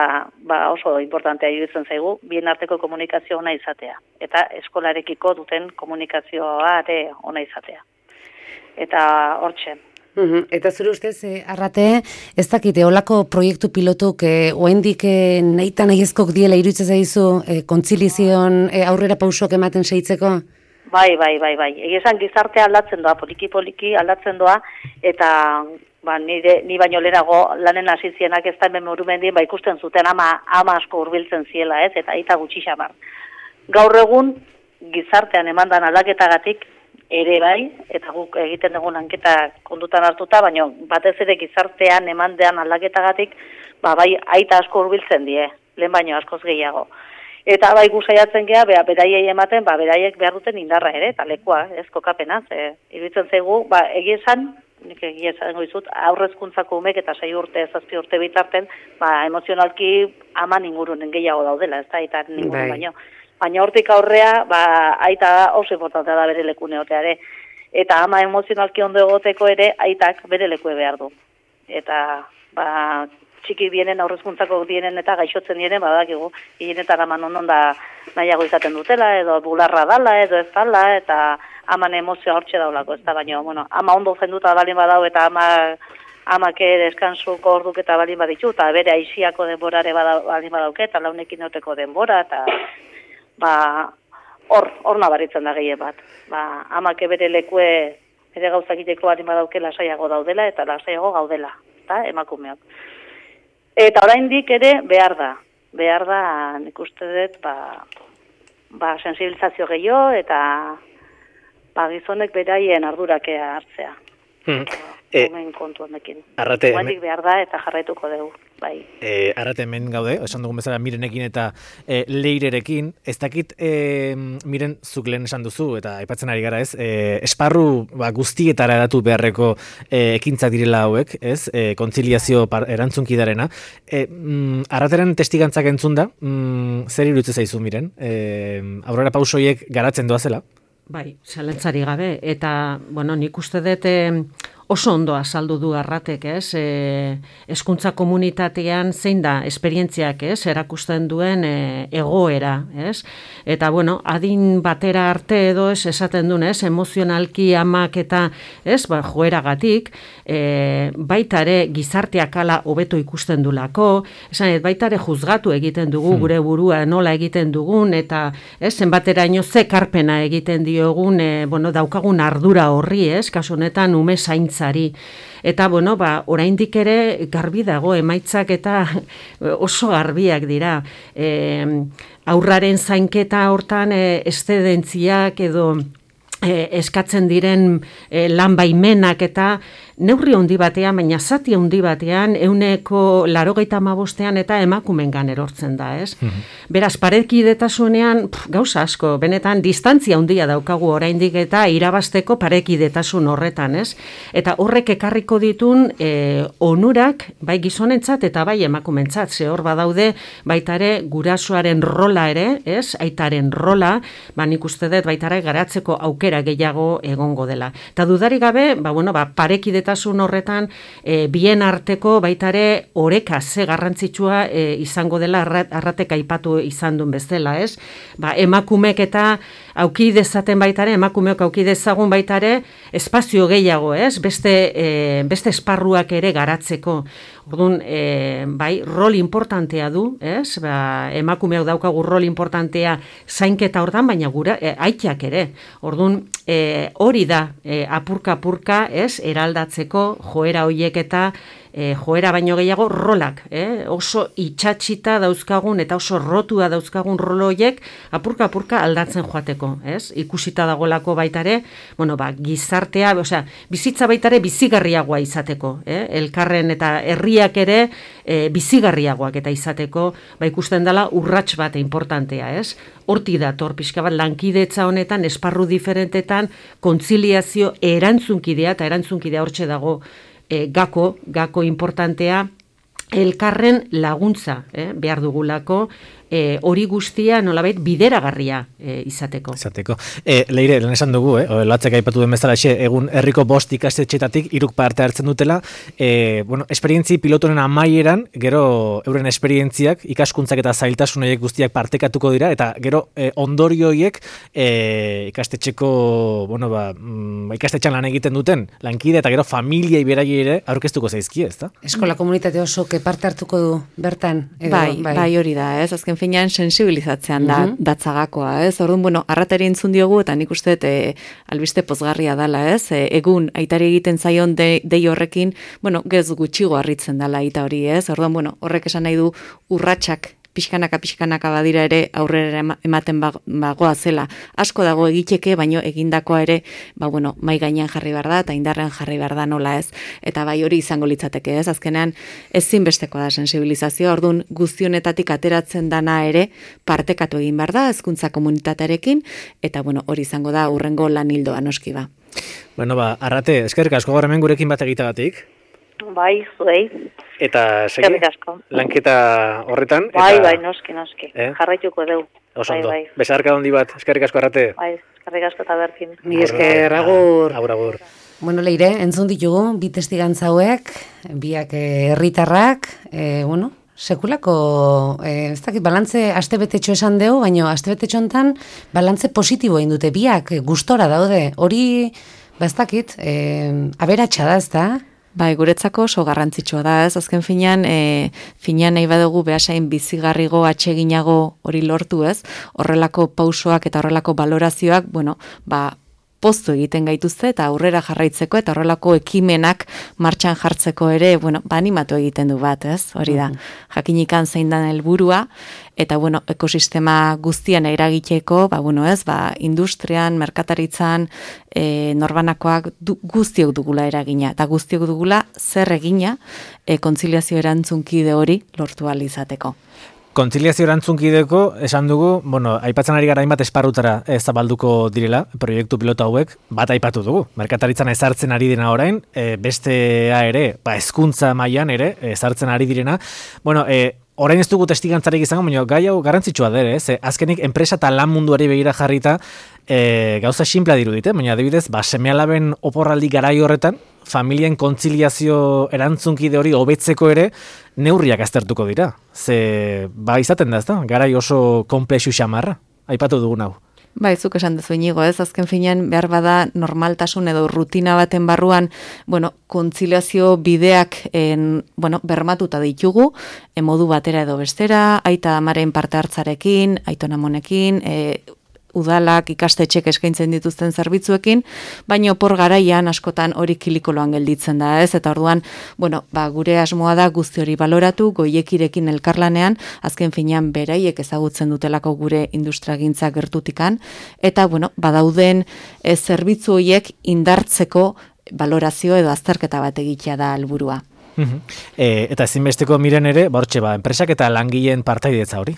oso importantea iruditzen zaigu, bien arteko komunikazio ona izatea. Eta eskolarekiko duten komunikazioa ere ona izatea. Eta hortxe. Eta zure ustez, Arrate, ez dakite, olako proiektu pilotuk oendik nahi ezkok diela iruditzen zaizu kontzilizion aurrera pausok ematen seitzeko? Bai. Egia esan gizartea aldatzen doa, poliki aldatzen doa, eta ni baino lehenago lanen hasi zienak ez da hemen Murumendien, ikusten zuten ama asko hurbiltzen ziela, ez, eta aita gutxi xamar. Gaur egun, gizartean emandan aldaketagatik ere bai, eta guk egiten dugun lanketa kondutan hartuta, baina batez ere gizartean emandean aldaketagatik, bai aita asko hurbiltzen die, lehen baino askoz gehiago. Eta bai gusaiatzen gea, beraiei ematen, beraiek behar duten indarra ere, eta lekua, ez kokapenaz, iruditzen zaigu, egia esan, nik egia esango dizut, aurrezkuntzako umek eta 6 urte, 7 urte bitarten, emozionalki aman ingurunen gehiago daudela, ez da, eta ningurun baino. Baina hortik aurrea, aita oso importantea da bere leku neoteare. Eta ama emozionalki ondo egoteko ere, aitak bere lekue behar du. Eta, txiki dienen, aurrezkuntzako dienen eta gaixotzen dienen, badakigu, hilenetan aman ondon da nahiago izaten dutela, edo bularra dala, edo ez dala, eta aman emozioa hortxe daulako, ez da, baina, ama ondo zenduta balin badau, eta amake deskansuko orduk eta balin baditu, eta bere aixiako denborare balin badauke, eta launekin neoteko denbora, eta hor nabaritzen da gehien bat. Amake bere lekue, bere gauzakiteko balin badauke lasaiago daudela, eta lasaiago gaudela, eta emakumeok. Eta oraindik ere behar da, nik uste dut, sensibilizazio gehiago, eta gizonek beraien ardurake hartzea. Hemen kontu honekin. Guatik behar da eta jarraituko dugu. Bai. Arrate hemen gaude, esan dugun bezala Mirenekin eta Leirerekin, ez dakit Miren zuk lehen esan duzu, eta aipatzen ari gara ez, esparru guztietara eratu beharreko ekintzak direla hauek, ez, kontziliazio erantzunkidarena. Arrateren testigantzak entzun da, zer iruditzen zaizu Miren? Aurrera pausoiek garatzen doazela? Bai, zalantzari gabe, eta, nik uste dut oso ondo azaldu du Arratek, ez? Hezkuntza komunitatean zein da esperientziak, ez? Erakusten duen egoera, ez? Eta, adin batera arte edo ez esaten duen, ez? Emozionalki amak eta, ez? Joeragatik, baita ere gizarteak ala hobeto ikusten dulako, esan, baita ere juzgatu egiten dugu gure burua nola egiten dugun, eta, ez? Zenbateraino ze karpena egiten diogun, daukagun ardura horri, ez? Kasu honetan ume zaintzari. Eta, oraindik ere garbi dago emaitzak eta oso garbiak dira. Aurraren zainketa hortan eszedentziak edo eskatzen diren lan baimenak eta neurri handi batean, baina zati handi batean 85% eta emakumengan erortzen da, ez? Beraz, parekidetasunean gauza asko, benetan distantzia handia daukagu oraindik eta irabasteko parekidetasun horretan, ez? Eta horrek ekarriko ditun onurak bai gizonentzat eta bai emakumentzat, ze hor badaude baita ere gurasoaren rola ere, ez? Aitaren rola, nik uste dut baita ere garatzeko aukera gehiago egongo dela. Eta dudarik gabe, parekidetasun horretan bien arteko baita ere oreka ze garrantzitsua izango dela Arratek aipatu izan duen bezala, ez? Emakumeek eta auki dezaten baita ere, emakumeok auki dezagun baita ere, espazio gehiago, ez? Beste esparruak ere garatzeko. Orduan, rol importantea du, ez? Emakumeok daukagu rol importantea zainketa hortan, baina gura aitak ere. Orduan, hori da apurka-apurka, ez? Eraldatzeko joera hoiek eta joera baino gehiago rolak, oso itxatxita dauzkagun eta oso rotua dauzkagun rolo horiek apurka-apurka aldatzen joateko, ez? Ikusita dagoelako baitare, gizartea, bizitza baitare bizigarriagoa izateko, elkarren eta herriak ere bizigarriagoak eta izateko, ikusten dela urrats bat importantea, ez? Hortik dator pixka bat lankidetza honetan, esparru diferentetan, kontziliazio erantzunkidea, eta erantzunkidea hortxe dago gako importantea, elkarren laguntza behar dugulako, hori guztia nolabait bideragarria izateko. Leire, lan esan dugu, latzek aipatu den bezala egun herriko 5 ikastetxeetatik 3 parte hartzen dutela, esperientzi pilotoren amaieran, gero euren esperientziak, ikaskuntzak eta zailtasun horiek guztiak partekatuko dira, eta gero ondorio horiek ikastetxeko, ikastetxean lan egiten duten lankide, eta gero familiei beraiei ere aurkeztuko zaizkie, ezta? Eskola komunitate oso parte hartuko du bertan? Bai, hori da, ez? Azken finean sensibilizatzean datzagakoa, ez? Orduan, bueno, arratari entzun diogu, eta nik uste albiste pozgarria dela, ez? Egun, aitari egiten zaion dei horrekin, bueno, gez gutxigo harritzen dela aita hori, ez? Orduan, bueno, horrek esan nahi du urratsak pixkanaka badira ere aurrera ematen bagoa zela. Asko dago egiteke, baino egindakoa ere, mai gainean jarri behar da, eta indarrean jarri behar da nola ez. Eta bai hori izango litzateke ez, azkenean ezinbestekoa da sensibilizazioa, orduan guztionetatik ateratzen dana ere partekatu egin behar da, hezkuntza komunitatearekin, eta hori izango da urrengo lan hildoa noski ba. Arrate, eskerrik asko gaur hemen gurekin bat egitagatik. Bai, zuei. Eta segi, lanketa horretan. Bai, noski. Jarraituko dugu. Oso ondo. Besarka handi bat, eskerrik asko Arrate. Bai, eskerrik asko eta berkin. Ni esker, agur. Agur. Bueno, Leire, entzun ditugu, bi testigantza hauek, biak herritarrak, sekulako, ez dakit, balantze astebetetxo esan deu, baina astebetetxo hontan balantze positibo egin dute, biak gustora daude, hori, ez dakit, aberatsa da, ez da? Bai, guretzako oso garrantzitsua da, ez? Azken finean nahi badugu behasain bizigarrigo, atseginago hori lortu, ez? Horrelako pausoak eta horrelako balorazioak, poztu egiten gaituzte eta aurrera jarraitzeko eta horrelako ekimenak martxan jartzeko ere, animatu egiten du bat, ez? Hori da, jakinikan zein dan helburua eta, ekosistema guztian eragiteko, industrian, merkataritzan, norbanakoak guztiok dugula eragina eta guztiok dugula zer egina kontziliazio erantzunkide hori lortu ahal izateko. Kontziliazio erantzunkideko, esan dugu, aipatzen ari gara hainbat esparrutara zabalduko direla, proiektu pilota hauek, bat aipatu dugu. Merkataritzan ezartzen ari dena orain, bestea ere, hezkuntza mailan ere, ezartzen ari direna. Orain ez dugu testigantzarik izango, baina gai hau garrantzitsua dere, azkenik enpresa eta lan munduari begira jarrita gauza sinplea dirudite, baina adibidez, seme-alaben oporraldi garai horretan, familien kontziliazio erantzunkide hori hobetzeko ere neurriak aztertuko dira. Izaten da, ez da? Garai oso komplexu xamarra, aipatu dugun hau. Zuk esan dezu inigo, ez? Azken finean behar bada normaltasun edo rutina baten barruan, kontziliazio bideak bermatuta ditugu, modu batera edo bestera, aita amaren parte hartzarekin, aitona monekin, udalak ikastetxek eskaintzen dituzten zerbitzuekin, baina opor garaian askotan hori kilikoloan gelditzen da, ez? Eta orduan, gure asmoa da guzti hori baloratu, goiekirekin elkarlanean, azken finean beraiek ezagutzen dutelako gure industriagintza gertutikan, eta, badauden zerbitzu horiek indartzeko balorazio edo azterketa bat egitea da helburua. Eta ezinbesteko miren ere, enpresak eta langileen partaidetza hori?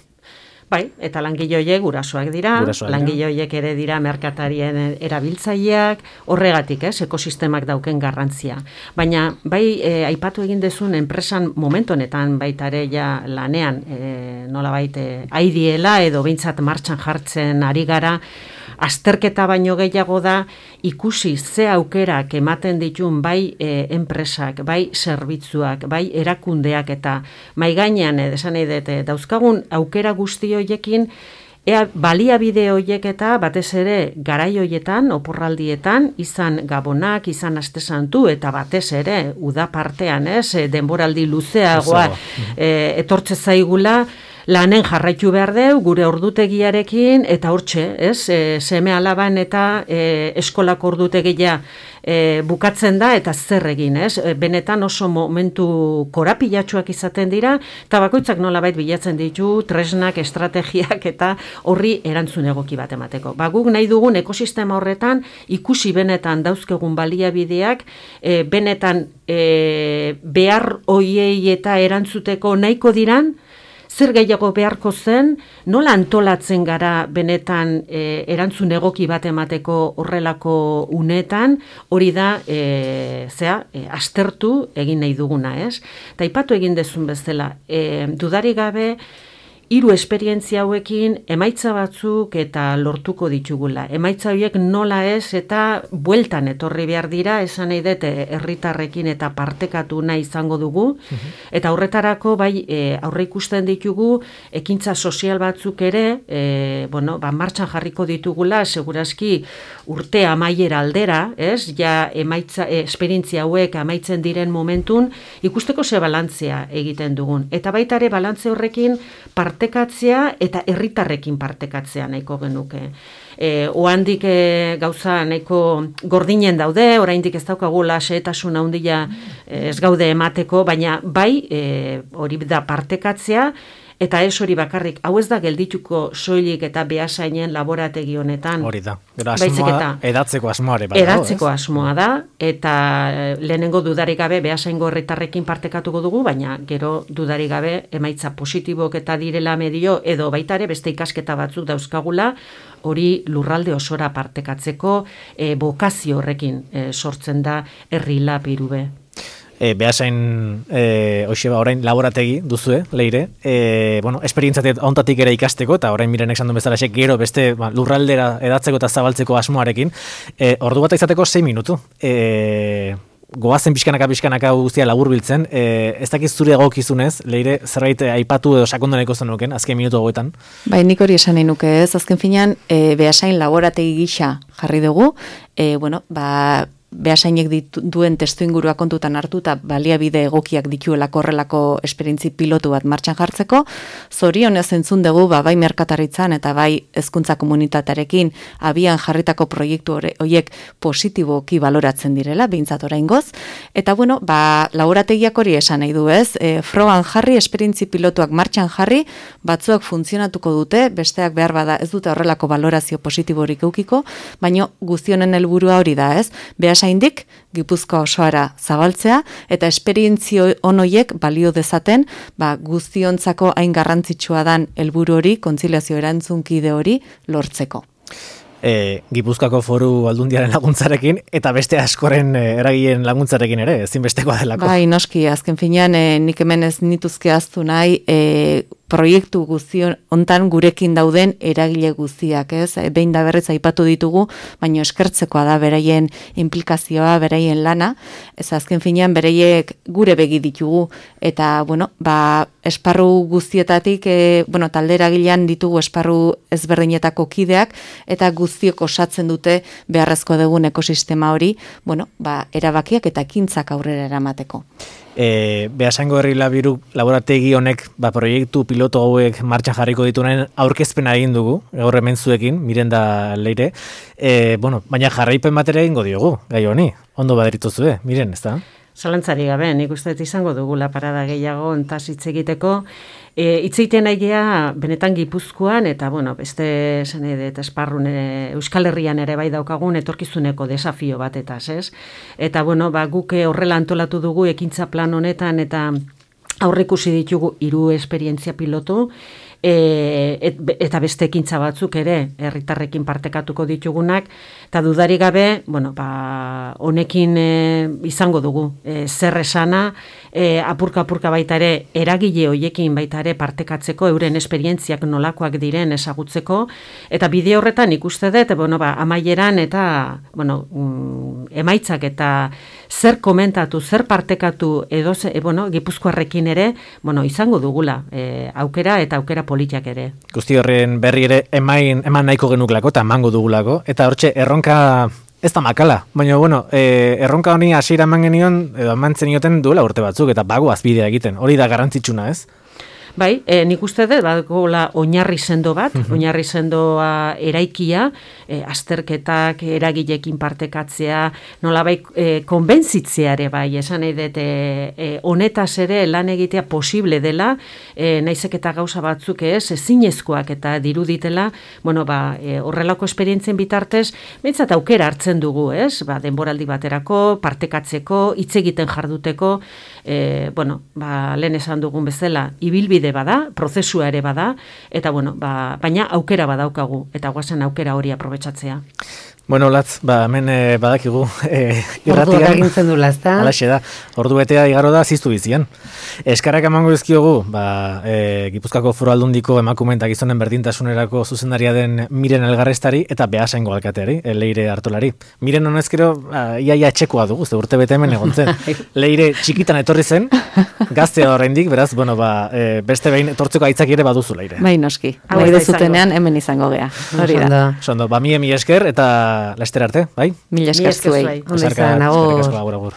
Bai, eta langile horiek gurasoak dira, langile horiek ere dira merkatarien erabiltzaileak, horregatik, ekosistemak dauken garrantzia. Baina, aipatu egin dezun enpresan momentu honetan baita ere lanean, nolabait aidiela edo behintzat martxan jartzen ari gara, azterketa baino gehiago da ikusi ze aukerak ematen ditun bai enpresak, bai zerbitzuak, bai erakundeak eta mai gainean esan nahi dut dauzkagun aukera guzti horiekin baliabide horiek eta batez ere garai horietan, oporraldietan, izan gabonak, izan aste santu eta batez ere uda partean, denboraldi luzeagoa etortze zaigula, lanen jarraitu behar deu, gure ordutegiarekin, eta hortxe, seme alaban eta eskolako ordutegia bukatzen da, eta zer egin, benetan oso momentu korapilatsuak izaten dira, eta bakoitzak nolabait bilatzen ditu, tresnak, estrategiak, eta horri erantzun egoki bat emateko. Guk nahi dugun ekosistema horretan, ikusi benetan dauzkegun baliabideak, benetan behar hoiei eta erantzuteko nahiko diran, zer gehiago beharko zen, nola antolatzen gara benetan erantzun egoki bat emateko horrelako unetan, hori da, aztertu egin nahi duguna, ez? Eta aipatu egin dezun bezala, dudarik gabe, 3 esperientzia hauekin emaitza batzuk eta lortuko ditugula. Emaitza horiek nola ez eta bueltan etorri behar dira, esan nahi dut herritarrekin eta partekatu nahi izango dugu. Eta horretarako aurre ikusten ditugu ekintza sozial batzuk ere, martxan jarriko ditugula, segurazki urte amaiera aldera, ez? Ja emaitza esperientzia hauek amaitzen diren momentun ikusteko ze balantzea egiten dugun. Eta baita ere balantze horrekin parte partekatzea eta herritarrekin partekatzea nahiko genuke. Oandik gauza nahiko gordinen daude, oraindik ez daukagula xehetasun handia ez gaude emateko, baina bai hori da partekatzea, eta ez hori bakarrik, hau ez da geldituko soilik eta Beasainen laborategi honetan. Hori da, gero asmoa, edatzeko asmoa ere. Edatzeko asmoa da, eta lehenengo dudarik gabe Beasaingo herritarrekin partekatuko dugu, baina gero dudarik gabe emaitza positibok eta direla medio, edo baita ere beste ikasketa batzuk dauzkagula, hori lurralde osora partekatzeko bokazio horrekin sortzen da Herri Lab Irube. Beasain, orain laborategi duzue, Leire, esperientzatik ontatik ere ikasteko, eta orain mirenek esan duen bezala gero beste lurraldera edatzeko eta zabaltzeko asmoarekin, ordu bat izateko 6 minutu. Goazen pixkanaka guztia laburbiltzen, ez dakiz zure egokizunez, Leire, zerbait aipatu edo sakondoneko zenuken, azken minutu hauetan? Bai, nik hori esan nahi nuke ez, azken finean, Beasain laborategi gisa jarri dugu, Beasainek duen testuingurua kontutan hartu eta baliabide egokiak dituelako horrelako esperientzi pilotu bat martxan jartzeko. Zorionez entzun dugu bai merkataritzan eta bai hezkuntza komunitatearekin abian jarritako proiektu horiek positiboki baloratzen direla, behintzat oraingoz. Eta laborategiak hori esan nahi du ez, frogan jarri, esperientzi pilotuak martxan jarri, batzuak funtzionatuko dute, besteak behar bada ez dute horrelako balorazio positiborik eukiko, baina guztionen helburua hori da ez, Beasaindik Gipuzkoa osoara zabaltzea eta esperientzio onoiek balio dezaten guztiontzako hain garrantzitsua dan helburu hori, kontziliazio erantzunkide hori lortzeko. Gipuzkoako Foru Aldundiaren laguntzarekin eta beste askoren eragileen laguntzarekin ere, ezinbestekoa delako. Bai, noski, azken finean nik hemen ez nituzke ahaztu nahi proiektu guztion hontan gurekin dauden eragile guztiak, ez? Behin da berriz aipatu ditugu, baina eskertzekoa da beraien implikazioa, beraien lana, ez azken finean beraiek gure begi ditugu eta esparru guztietatik talde eragilean ditugu esparru ezberdinetako kideak eta guztiok osatzen dute beharrezko dugun ekosistema hori, erabakiak eta ekintzak aurrera eramateko. Beasaingo Herri Lab laborategi honek proiektu piloto hauek martxan jarriko dituen aurkezpena egin dugu, gaur hemen zuekin, miren da Leire, baina jarraipen batera egingo diogu, gai honi, ondo baderituzue, miren, ez da? Zalantzari gabe, nik uste izango dugula parada gehiago ontaz hitz egiteko. Hitz egiten nahiea benetan Gipuzkoan eta beste eta esparrun Euskal Herrian ere bai daukagun etorkizuneko desafio batetaz, ez? Eta guk horrela antolatu dugu ekintza plan honetan eta aurreikusi ditugu 3 esperientzia pilotu, eta beste ekintza batzuk ere herritarrekin partekatuko ditugunak, eta dudarik gabe, honekin izango dugu zer esana, apurka baita ere eragile hoiekin baita ere partekatzeko, euren esperientziak nolakoak diren ezagutzeko, eta bide horretan ikuste dut, amaieran eta emaitzak eta zer komentatu, zer partekatu edo Gipuzkoarrekin ere, izango dugula aukera eta aukera politiak ere. Guzti horren berri ere eman nahiko genuklako eta emango dugulako, eta hortxe erronka ez da makala, baina erronka honi hasiera eman genion, edo eman zenioten duela urte batzuk, eta bagoaz bidea egiten, hori da garrantzitsuna ez? Bai, nik uste dut, badokola oinarri sendo bat, oinarri sendoa eraikia, azterketak, eragilekin partekatzea, nolabait konbentzitzeare bai, esan nahi dut, honetaz ere lan egitea posible dela, naizek eta gauza batzuk ezinezkoak eta diruditela, horrelako esperientzien bitartez, behintzat aukera hartzen dugu, ez? Denboraldi baterako, partekatzeko, hitz egiten jarduteko, lehen esan dugun bezala, ibilbide bada, prozesua ere bada, eta baina aukera badaukagu, eta guazen aukera hori aprobetxatzea. Latz, hemen badakigu irratian. Ordu egintzen dula, ez da? Alaxe da, ordu betea igaro da ziztu bizian. Eskarrak emango dizkiogu, Gipuzkoako Foru Aldundiko emakume eta gizonen berdintasunerako zuzendaria den Miren Elgarrestari eta Beasaingo alkateari, Leire Artolari. Miren honezkero, iaia etxekoa dugu, ze urte bete hemen egon zen. Leire txikitan etorri zen, gaztea oraindik, beraz, beste behin etortzeko aitzak ere baduzu, Leire. Bai, noski. Bai, dezutenean hemen izango gea. Hori da. Sondo, mila esker eta laster arte, bai? Mila esker zuei. Ondo izan, agur. Agur.